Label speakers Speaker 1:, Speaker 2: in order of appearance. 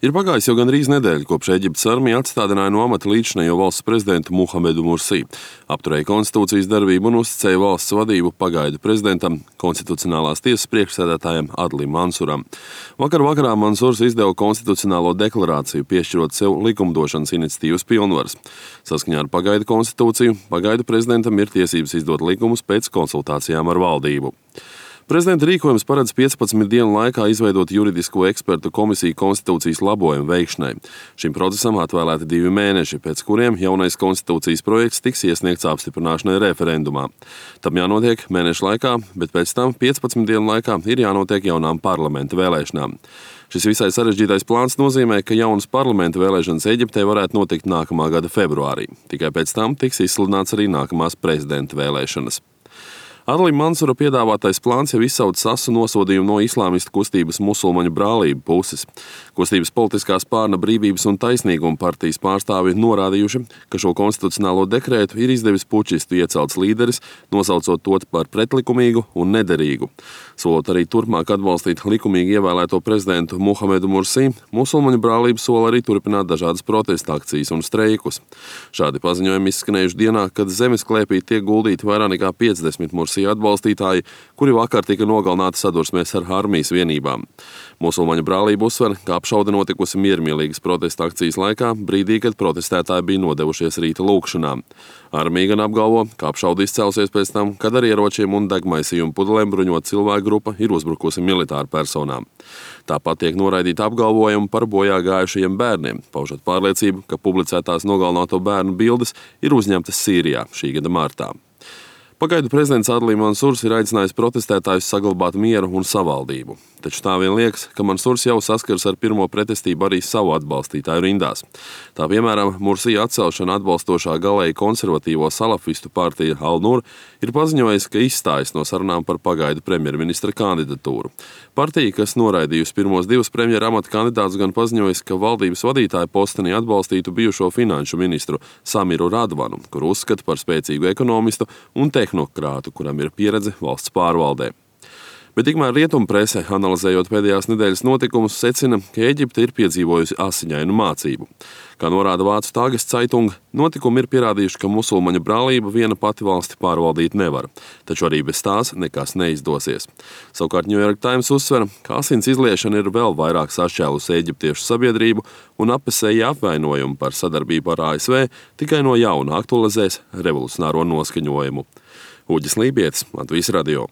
Speaker 1: Ir pagājis jau gandrīz nedēļa, kopš Eģiptes armija atstādināja no amata līdzinējo valsts prezidentu Muhamedu Mursī, apturēja konstitūcijas darbību un uzticēja valsts vadību pagaidu prezidentam, konstitucionālās tiesas priekšsēdētājam Adlim Mansuram. Vakar vakarā Mansurs izdeva konstitucionālo deklarāciju, piešķirot sev likumdošanas iniciatīvas pilnvaras. Saskaņā ar pagaidu konstitūciju, pagaidu prezidentam ir tiesības izdot likumus pēc konsultācijām ar valdību. Prezidenta rīkojums paredz 15 dienu laikā izveidot juridisko ekspertu komisiju konstitūcijas labojumu veikšanai. Šim procesam atvēlēti 2 mēneši, pēc kuriem jaunais konstitūcijas projekts tiks iesniegts apstiprināšanai referendumā. Tam jānotiek mēnešu laikā, bet pēc tam 15 dienu laikā ir jānotiek jaunām parlamenta vēlēšanām. Šis visai sarežģītais plāns nozīmē, ka jaunas parlamenta vēlēšanas Eģiptē varētu notikt nākamā gada februārī. Tikai pēc tam tiks izsludināts arī nākamās prezidenta vēlēšanas. Adlim Mansura piedāvātais plāns jau izsauc asu nosodījumu no islāmistu kustības musulmaņu brālību puses. Kustības politiskā spārna Brīvības un taisnīguma partijas pārstāvi norādījuši, ka šo konstitucionālo dekrētu ir izdevis pučistu iecelts līderis, nosaucot to par pretlikumīgu un nederīgu. Solot arī turpmāk atbalstīt likumīgi ievēlēto prezidentu Muhamedu Mursī, musulmaņu brālība sola arī turpināt dažādas protesta akcijas un streikus. Šādi paziņojumi izskanējuši dienā, kad zemes klēpī tiek guldīti vairāk nekā 50 Mursī atbalstītāji, kuri vakar tika nogalināti sadursmēs ar armijas vienībām. Musulmaņu brālība uzsver, ka apšaude notikusi miermīlīgas protesta akcijas laikā, brīdī, kad protestētāji bija nodevušies rīta lūkšanām. Armija gan apgalvo, ka apšaude izcelsies pēc tam, kad ar ieročiem un degmaisījumu pudelēm bruņot cilvēku grupa ir uzbrukusi militāru personām. Tāpat tiek noraidīta apgalvojumi par bojā gājušajiem bērniem, paužot pārliecību, ka publicētās nogalināto bērnu bildes ir uzņemtas Sīrijā šī gada martā. Pagaidu prezidents Adlim Mansurs ir aicinājis protestētājus saglabāt mieru un savaldību. Taču tā vien liekas, ka Mansurs jau saskars ar pirmo pretestību arī savu atbalstītāju rindās. Tā piemēram, Mursī atcelšana atbalstošā galēji konservatīvo salafistu partija Al-Nur ir paziņojis, ka izstājas no sarunām par pagaidu premjerministra kandidatūru. Partija, kas noraidījusi pirmos 2 premjera amata kandidātus, gan paziņojis, ka valdības vadītāja postenī atbalstītu bijušo finanšu ministru Samiru Radvanu, kuru uzskata par spēcīgu ekonomistu un tehnokrātu, kuram ir pieredze valsts pārvaldē. Bet tikmēr rietumprese, analizējot pēdējās nedēļas notikumus, secina, ka Eģipte ir piedzīvojusi asiņainu mācību. Kā norāda Vācu Tageszeitung, notikumi ir pierādījuši, ka musulmaņu brālība viena pati valsti pārvaldīt nevar, taču arī bez tās nekas neizdosies. Savukārt New York Times uzsver, ka asins izliešana ir vēl vairāk sašķēlusi eģiptiešu sabiedrību un apesēji apvainojumi par sadarbību ar ASV tikai no jauna aktualizēs revolucionāro noskaņojumu. Uģis Lībietis, Latvijas radio.